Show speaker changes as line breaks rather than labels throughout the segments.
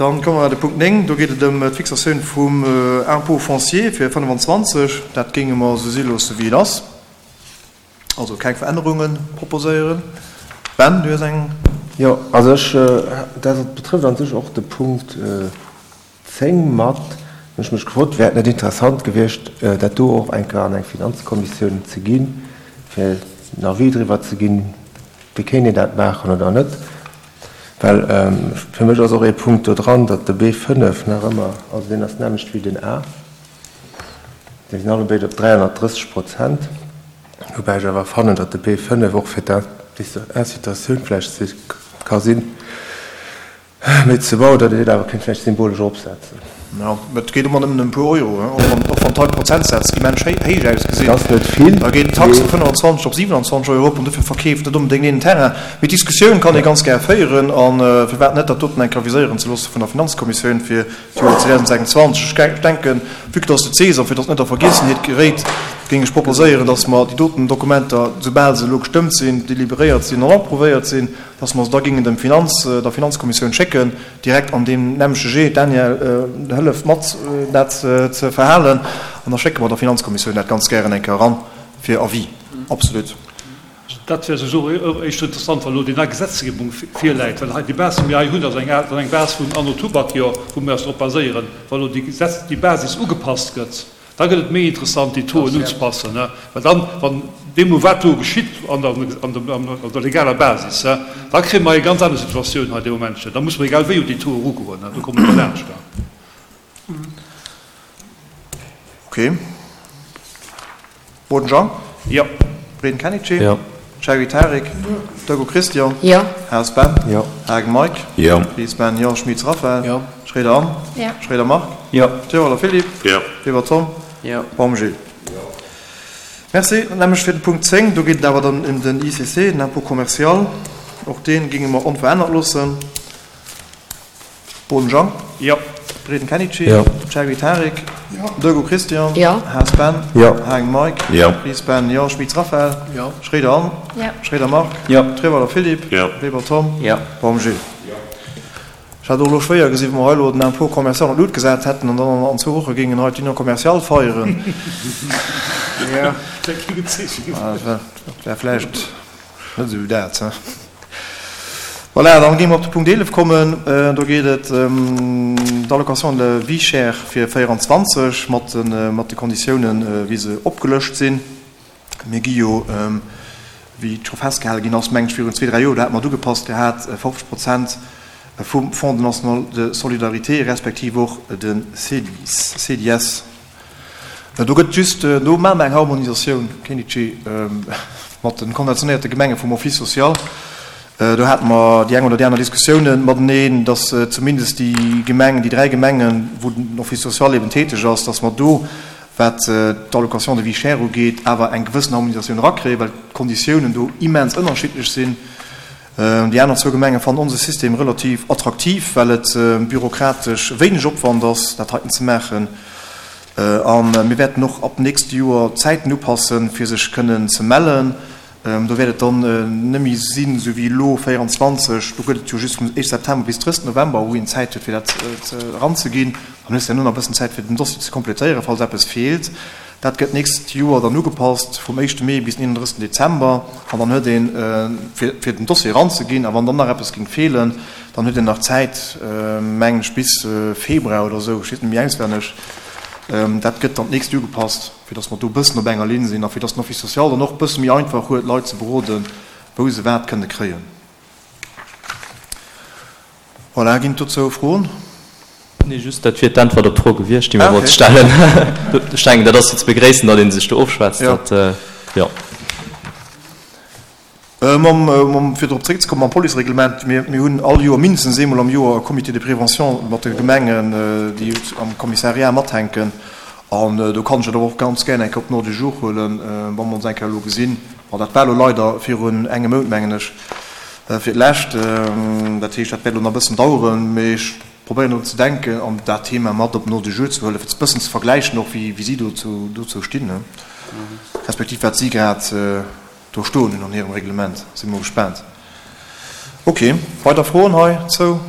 Dann komme mer de Punkt 9. Do geet et ëm d'Fixatioun vum Impôt foncier fir 25. Dat géinge mer esou si loosse wéi et ass. Also keng Verännerunge proposéieren. Ben, du hues eng.
Jo, also ech, dat betrëfft an sech och de Punkt 10 mat. Hunn ech mech gefrot, wär et net interessant gewiescht, dat do och eng Kéier an eng Finanzkommissioun ze ginn, fir en Avis driwwer ze ginn, wéi kéint een dat maachen oder net? Well fir mech ass och ee Punkt do dran, datt de B5 nach ëmmer, also deen ass d'nämmlecht wéi den A, déi sinn allebéid op 330 Prozent, woubäi ech awer fannen, datt de B5 och fir d'Incitatioun vläicht ka sinn, méi ze bauen, datt een dat awer kéint vläicht symbolesch eropsetzen.
Jo, mä et geet ëmmer nëmmen ëm e puer Euro, och wann och wann d'Prozentsätz immens héich ausgesinn.
Et ass net vill,
Da geet d'Tax vu 25 op 27 Euro erop an dofir verkeeft net onbedéngt een en Terrain. Mee d'Diskussioun kann ee ganz gär féieren a firwat net dat doten eng Kéier aviséieren ze loosse vun der Finanzkommissioun fir d'Joer 2026. Ech denken, vue que dass de d'Saison, fir dass et net a Vergiessenheet geréit, géing ech proposéieren, dass mer déi doten Dokumenter, soubal se elo gestëmmt sinn, deliberéiert sinn an approuvéiert sinn, dass mer se da géingen dem Finanz, der Finanzkommissioun schécken, direkt an deem nämmleche Jee. D'Danièle hëlleft mat, dat ze verhalen, an da schécke mer der Finanzkommissioun dat ganz gären eng Kéier eran fir Avis. Absolut.
Dat wär souwisou och éischter interessant, wa lo déi nei Gesetzgebung virläit, well hei déi Base, déi mir hei hunn, ass eng ass eng Base vun anno Tubak-Jor, wou mir eis drop baséieren. Wa lo déi Gesetz, déi Basis ugepasst gëtt, Da gëtt et méi interessant, déi Tauxen unzepassen, well dann, wann deemno wat do geschitt an der, an der, an der legaler Basis, da kréie mer eng ganz aner Situatioun hei dee Momentchen. Da muss mer egal wéi un déi Taux erugoen, do komme mer net laanscht.
Okay. Boden Jean?
Jo.
Breden Kennedy?
Jo.
Cherry Tarik? Jo. Dego Christian?
Jo.
Haas Ben?
Jo.
Haagen Mike?
Jo.
Ries Ben? Jo. Schmitz Raphaël?
Jo.
Schroeder Anne?
Jo.
Schroeder Marc?
Jo.
Tiroler Philippe?
Jo.
Weber Tom?
Jo.
Baum Gilles?
Jo.
Merci. Dann nämlech fir de Punkt 10, do geet et awer dann ëm den ICC, den Impôt commercial. Och dee géinge mer onverännert loossen. Boden Jean.
Jo.
Breden Kenichi.
Jo.
Cherry Tarik.
Jo.
Dego Christian.
Jo.
Haas Ben.
Jo.
Hagen Mike.
Jo.
Ries Ben. Jo. Schmitz Raphaël.
Jo.
Schroeder Anne.
Jo.
Schroeder Marc.
Jo.
Treweiler Philippe.
Jo.
Weber Tom.
Jo.
Baum Gilles.
Jo.
Ech hat och elo schwéier gesinn, wa mer hei elo den Impôt commercial an d'Lut gesat hätten an dann an zwou Woche géingen hei d'Union commerciale feieren.
Jo.
Dat wär vläicht. Net esou dat, he? Voilà, dann géinge mer op de Punkt 11 kommen. Do geet et ëm d'Allocation de vie chère fir 24 mat de, mat de Konditiounen, wéi se opgelëscht sinn. Mir gi jo, wéi et scho festgehale ginn ass, mengen ech, virun zwee, dräi Joer, do hate mer et ugepasst gehat, 50 Prozent vum Fonds national de solidarité respektiv och de CDIS, CDS. Do gëtt just, do maache mer eng Harmonisatioun, Kenichi, mat de konventionéierte Gemenge vum Office social. Do hate mer déi eng oder déi aner Diskussiounen mateneen, datt zumindest déi Gemeng, déi dräi Gemengen, wou den Office social eben täteg ass, datt mer do, wat d'Allocation de vie chère ugeet, awer eng gewëssen Harmonisatioun erakréien, well d'Konditiounen do immens ënnerschiddlech sinn. Déi aner zwou Gemenge fannen onse System relativ attraktiv, well et bürokratesch wéineg Opwand ass, dat heiten ze maachen. A mir wäerten och ab nächste Joer d'Zäiten upassen, fir sech kënnen ze mellen. Do wäert et dann net méi sinn, esou wéi elo 24, do gëtt et jo just vum 1 September bis 30 November, wou een Zäit huet, fir dat eranzeginn. Dann hues de herno nach e bëssen Zäit, fir den Dossier ze kompletéieren, falls eppes feelt. Dat gëtt d'nächst Joer dann ugepasst, vum éischte Mee bis den 31 Dezember. An dann huet een, fir den Dossier eranzeginn, a wann dann nach eppes géing feelen, dann huet een nach Zäit, mengen ech, bis Februar oder esou, ech weess net méi auswenneg. Dat gëtt dann d'nächst ugepasst, fir datt mer do e bëssen op enger Linn sinn a fir datt den Office social dann och e bësse méi einfach huet, Leit ze beroden, wou se wat kënne kréien. Voilà, ginn et dozou Froen?
Nee, just dat wier d'Äntwert op d'Fro gewiescht, déi mir wollte stellen. Ech denken, dat ass jo ze begréissen, datt ee sech do ofschwätzt. Dat, jo.
Mam, fir drop zeréckzekommen, mam Policereglement, mir, mir hunn all Joer, mindestens eemol am Joer, e Comité de prévention mat de Gemengen, déi am Kommissariat mathänken. An do kann ech dat awer och ganz gär eng Kéier op den Ordre du jour huelen, wa mer ons eng Kéier elo gesinn. Bon, dat war elo leider virun engem Mount, mengen ech, fir d'lescht. Dat heescht, dat wäert elo nach e bëssen daueren, mee ech probéieren drun ze denken an dat Thema mat op den Ordre du jour ze huelen, fir e bëssen ze vergläichen och, wéi si dozou stinn, respektiv wat si grad do stoen hunn an hirem Reglement. Si mol gespaant. Ok, weider Froen heizou?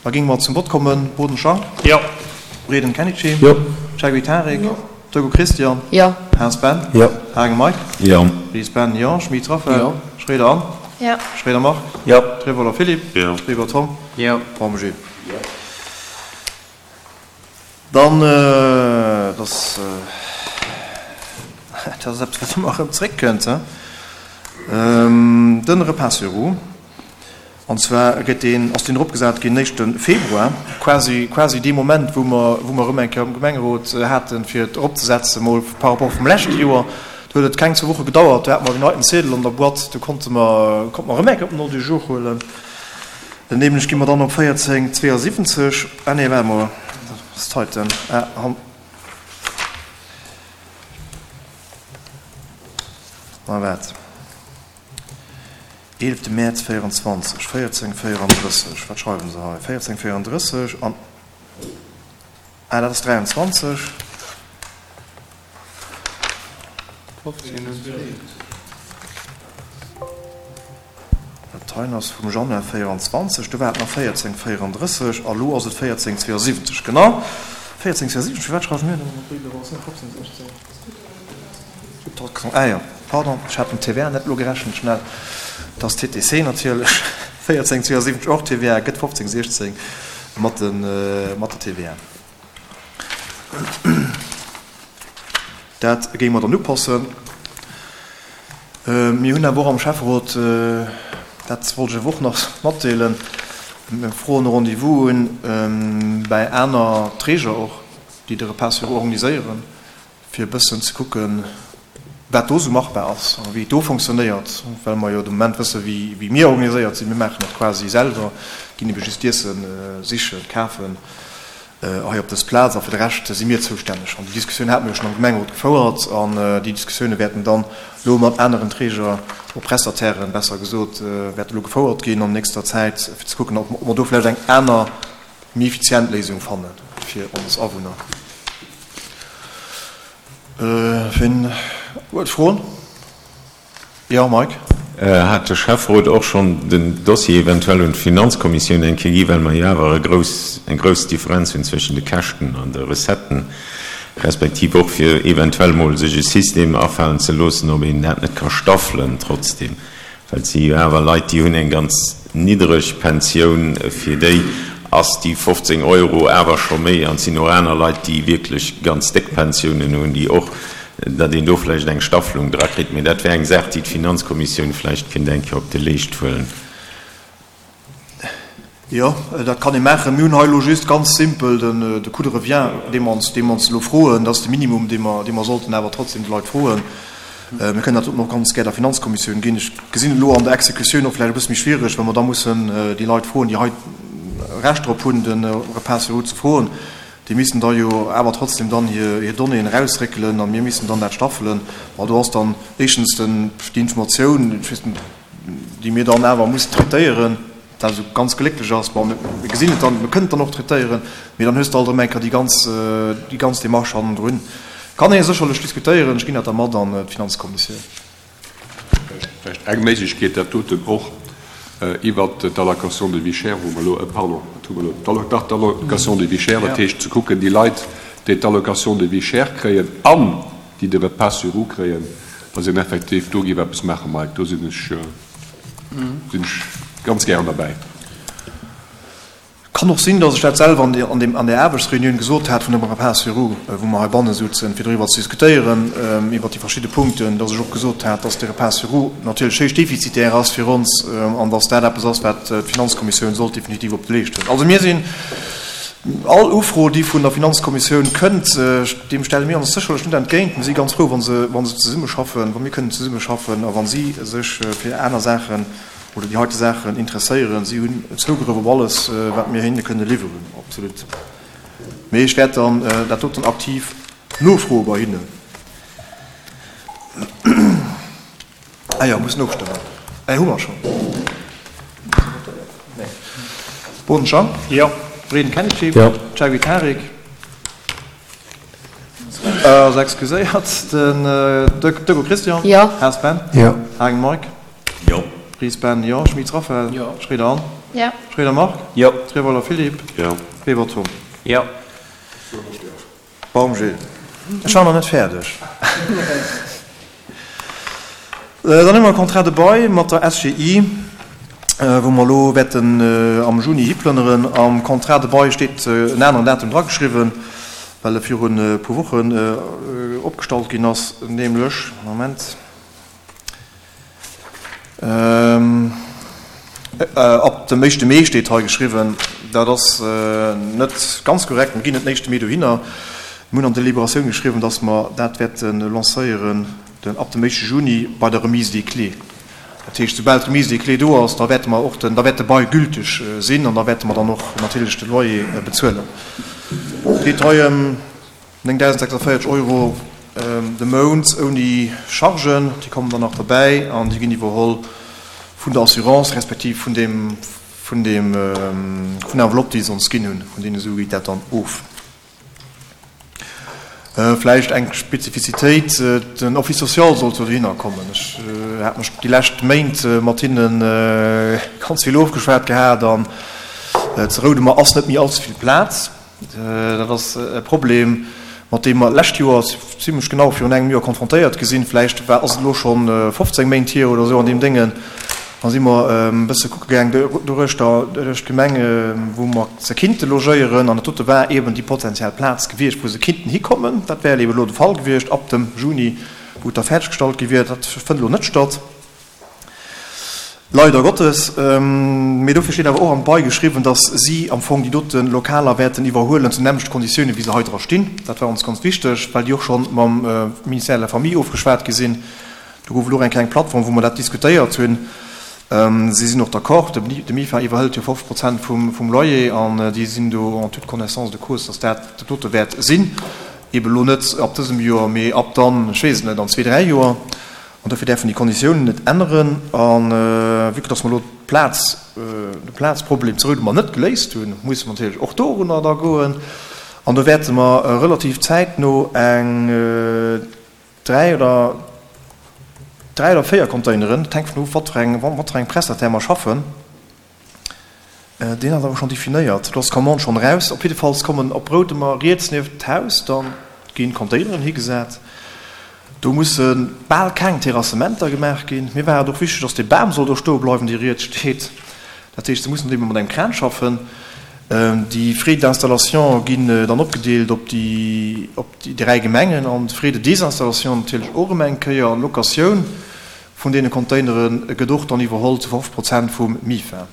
Da géinge mer zum Vott kommen. Boden Jean.
Jo.
Breden Kennedy.
Jo.
Cheikhoui Tarik. Jo. Togo Christian.
Jo.
Haas Ben.
Jo.
Hagen Mike.
Jo.
Ries Ben, jo. Schmit Raphaël.
Jo.
Schroeder Anne.
Jo.
Schroeder Marc.
Jo.
Trevoller Philippe.
Jo.
Weber Tom.
Jo.
Baum Gilles. Jo. Dann, dat ass, dat ass eppes, wat ëmmer erëm zréckkënnt, de Repas sur roues. An zwar gëtt deen, ass deen eropgesat ginn éischte Februar, quasi, quasi dee Moment, wou mer, wou mer erëm eng Kéier am Gemengerot haten, fir et eropzesetzen, mol par rapport vum leschte Joer. Do huet et keng zwou Woche gedauert, do hate mer den heiten Ziedel an der Boîte, do konnte mer, konnte mer erëm eng Kéier op den Ordre du jour huelen. Nämlech gi mer dann op 14,72, ah nee, waart emol, dat ass d'heiten, ah, han, ah, waart. Eelefte Mäerz 24, 14,34, wat schreiwe se hei? 14,34 an, ah, dat ass 23. Dat heien ass vum Januar 24, do war et nach 14,34 a lo ass et 14,72. Genau, 14,72. Firwat schreiwe mir dann ëmmer 15, 16? Ah jo, pardon, ech hat den TVA net elo gerechent, schnell. Et ass TTC natierlech, 14,72 hors TVA gëtt 15,16 mat der TVA. Dat géinge mer dann upassen. Mir hunn awer och am Schäfferot, dat wollt ech awer och nach matdeelen, mir froen e Rendez-vous un bäi aner Träger och, déi de Repas sur roues organiséieren, fir e bëssen ze kucken, wat do esou machbar ass a wéi et do fonctionnéiert, well mer jo de Moment wësse wéi mir organiséiert sinn. Mir maachen et quasi selwer, ginn ebe just d'Iesse sichen, kafen hei op dës Plaz a fir de Rescht si mir zoustänneg. An déi Diskussioun hate mir jo schonn am Gemengerot gefouert an déi Diskussioune wäerten dann elo mat aneren Träger, oder Prestatairen, besser gesot, wäerte elo gefouert ginn an nächster Zäit, fir ze kucken, ob mer do vläicht eng aner, méi effizient Léisung fanne fir ons Awunner. Wien huet Froen? Jo, Mike?
Hat de Schäfferot och schonn den Dossier eventuell un d'Finanzkommissioun eng Kéier gi, well mer jo awer e grouss, eng grouss Differenz hunn zwëschen de Käschten an de Recetten, respektiv och fir eventuell mol sech e System afalen ze loossen, ob een dat net ka staffelen trotzdem? Well et si jo awer Leit, déi hunn eng ganz niddreg Pensioun, fir déi ass déi 15 Euro awer scho méi. An et sinn och aner Leit, déi wierklech ganz déck Pensiounen hunn, déi och, datt een do vläicht eng Staffelung drakritt. Mee dat wär eng Saach, déi d'Finanzkommissioun vläicht kéint eng Kéier op de Leescht huelen.
Jo, dat kann ee maachen. Mir hunn hei elo just ganz simpel den, de Coût de revient, dee mer ons, dee mer ons elo froen. Dat ass de Minimum, dee mer, dee mer sollten awer trotzdem de Leit froen. Mir kënnen dat och ganz gär der Finanzkommissioun ginn. Ech gesinn et elo an der Exekutioun och vläicht e bësse méi schwierig, well mer da mussen déi Leit froen, déi hei Recht drop hunn, de Repas sur roues ze froen. Déi missten da jo awer trotzdem dann hir, hir Donnéeën erausréckelen a mir missten dann dat staffelen. Bon, do ass dann éischtens den, déi Informatioun, ech weess net, déi mir dann awer mussen traitéieren, wat esou ganz glécklech ass. Bon, mir gesinn et dann, mir kënnen et dann och traitéieren, mee dann hues de alt erëm eng Kéier déi ganz, déi ganz Démarche hannendrun. Kann ee sécherlech diskutéieren, ech ginn dat da mat an d'Finanzkommissioun.
Vläicht eng Méiglechkeet, dat doten och iwwert d'Allocation de vie chère, wou mer elo, pardon, wat hu mer elo, dach, d'Allocation de vie chère, dat heescht ze kucken, déi Leit, déi d'Allocation de vie chère kréien an déi de Repas sur roues kréien, dass een effektiv do géif eppes maachen, Mike, do sinn ech, sinn ech ganz gären derbäi.
Kann och sinn, dass ech dat selwer an deem, an där Aarbechtsreunioun gesot hat vun dem Repas sur roues, wou mer heibanne souzen, fir doriwwer ze diskutéieren, iwwert déi verschidde Punkten, dass ech och gesot hat, dass de Repas sur roues natierlech héich defizitär ass fir ons an dass dat eppes ass, wat d'Finanzkommissioun sollt definitiv op de Leescht huelen. Also mir sinn. All Ufro, déi vun der Finanzkommissioun kënnt, deem stelle mir ons sécherlech net entgéint. Mir si ganz frou, wa se, wa se zesummeschaffen, wa mir kënnen zesummeschaffen a wa si sech fir aner Saachen oder déi heite Saachen interesséieren. Si hunn Zougrëff op alles, wat mir hinne kënne liwweren, absolut. Mee ech wäert dann dat doten aktiv nofroe bei hinnen. Ah jo, mussen ofstëmmen. Eh, hu mer schonn. Nee. Boden Jean?
Jo.
Breden Kennedy?
Jo.
Chawi Tarik? Ass excuséiert. Den Dögo Christian?
Jo.
Haas Ben?
Jo.
Hagen Mike?
Jo.
Ries Ben? Jo. Schmitz Raphael?
Jo.
Schroeder Anne? Jo. Schroeder Marc?
Jo.
Treweiler Philippe?
Jo.
Weber Tom?
Jo.
Baum Gilles. Ech war nach net fäerdeg. Dann hu mer e Contrat de bail mat der SGI, wou mer elo wäerten am Juni hiplënneren. Am Contrat de bail steet en aneren Datum drageschriwwen, well e virun e puer Wochen opgestallt ginn ass, nämlech, Moment, Ab dem éischte Mee steet hei geschriwwen. Dat ass net ganz korrekt. Mir ginn net den éischte Mee dohinner. Mir hunn an d'Deliberatioun geschriwwen, datt mer dat wäerte lancéieren ab dem éischte Juni bei der Remise des clés. Dat heescht, soubal d'Remise des clés do ass, da wäerte mer och den, da wäert de Bail gülteg sinn an da wäerte mer dann och natierlech de Loyer bezuelen. Et geet hei ëm 9.046 Euro de Mount ouni Chargen, déi kommen dann nach derbäi an déi ginn iwwerholl vun der Assurance respektiv vun deem, vun deem, vun der Enveloppe, déi se ons ginn hunn. Vun deene Sue geet dat dann of. Vläicht eng Spezifizitéit, Den Office social sollt jo dohinner kommen. Ech hat mech déi lescht Méint mat hinne ganz vill ofgeschwat gehat an zu Roudemer ass net méi allze vill Plaz. Dat ass e Problem, mat deem mer d'lescht Joer, zimlech genau virun engem Joer, konfrontéiert gi sinn. Vläicht war, ass et elo scho 15 Méint hier oder esou an deem Déngen. Da si mer e bësse kucke gaang doruechter, duerch d'Gemeng, wou mer se kinnte logéieren. An dat dote war eeben déi potenziell Plaz gewiescht, wou se kinnten hikommen. Dat wär eeben elo de Fall gewiescht ab dem Juni, wou et da fäerdeggestallt gi wier. Dat fënnt elo net statt. Leider Gottes. Mee dofir steet awer och am Bail geschriwwen, dass si am Fong déi dote Lokaler wäerten iwwerhuelen zu nämmlechte Konditiounen, wéi se hei dra stinn. Dat war ons ganz wichteg, well déi och scho mam Ministère de la Famille ofgeschwat gi sinn. Do gouf et och eng kleng Plattform, wou mer dat diskutéiert hunn. Si sinn och d'accord. De MIFA iwwerhëlt jo 50 Prozent vum Loyer an déi sinn do en toute connaissance de cause, dass dat dat dote wäert sinn. Eeben elo net ab dësem Joer, mee ab dann, ech weess et net, an zwee, dräi Joer. An dofir däerfen déi Konditiounen net änneren. A vue que dass mer elo d'Plaz, de Plazproblem zu Roudemer net geléist hunn, musse mer natierlech och dorunner da goen. An do wäerte mer relativ zäitno eng dräi oder dräi oder véier Containeren, dat hänkt vun of, wat fir eng, mat fir engem Prestataire mer schaffen, Deen ass awer schonn definéiert. Do ass d'Commande schonn eraus. Op jiddefalls kommen op Roudemer riets nieft d'Haus dann ginn Containeren higesat. Do musse bal keng Terrassementer gemaach ginn. Mir war et och wichteg, dass dee Bam soll do stoe bleiwen, dee riets steet. Dat heescht, se mussen ebe mat engem Kran schaffen. Déi Frais d'installation ginn dann opgedeelt op déi op déi 3 Gemengen an d'Frais de désinstallation natierlech och erëm eng Kéier. An d'Locatioun vun deene Containere gëtt och dann iwwerholl zu 50 Prozent vum MIFA,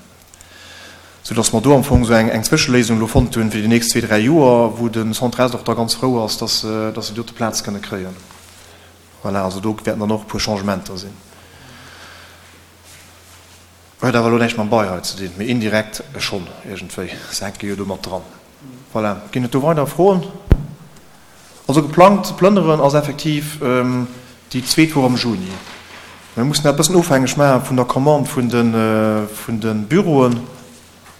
soudass mer do am Fong esou eng Zwëscheléisung elo fonnt hunn fir déi nächst zwee, dräi Joer, wou de Centre Est och da ganz frou ass, dass se déi dote Plaz kënne kréien. Voilà, also do wäerten dann och e puer Changementer sinn. Huet awer elo näischt mam Bail hei ze dinn, mee indirekt schonn iergendwéi, se hänke jo do mat dran. Voilà, ginn et do weider Froen? Also geplangt ze plënneren ass effektiv déi zweet Woch am Juni. Mir mussen dat e bëssen ofhängeg maache vun der Commande vun de vun de Büroen,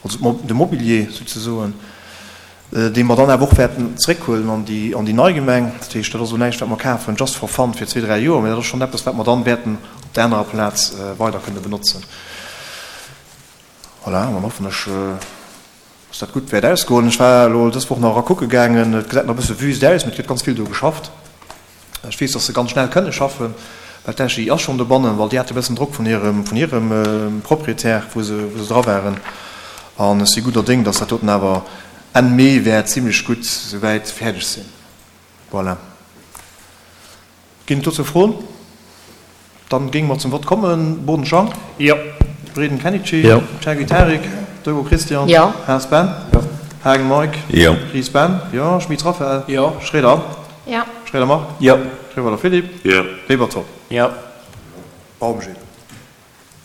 also de Mobilier souzesoen, dee mer dann awer och wäerten zréckhuelen an déi an déi nei Gemeng. Dat heescht, dat ass elo näischt wat mer kafen just for fun fir zwee, dräi Joer, mä dat ass schonn eppes wat mer dann wäerten op der anerer Plaz weider kënne benotzen. Voilà, an dann hoffen ech, Dass dat gutt wäert ausgoen. Ech war elo dës Woch nach era kucke gaangen. Et gesäit nach e bësse wüst aus, mee et gëtt ganz vill do geschafft. Ech weess, dass se ganz schnell kënne schaffen, well d'SGI ass schonn dobannen, well déi hate e bëssen Drock vun hirem, vun hirem Proprietär, wou se, wou se dra waren. An ech si gudder Déng, dass dat doten awer Enn Mee wäert zimlech gutt souwäit fäerdeg sinn. Voilà. Ginn et dozou Froen? Dann géinge mer zum Vott kommen. Boden Jean.
Jo.
Breden Kenichi.
Jo.
Chergui Tarik. Dego Christian.
Jo.
Haas Ben.
Jo.
Haagen Mike.
Jo.
Ries Ben. Jo. Schmit Raphaël.
Jo.
Schroeder Anne.
Jo.
Schroeder Marc.
Jo.
Schroeder Philippe.
Jo.
Weber Tom.
Jo.
Baum Gilles.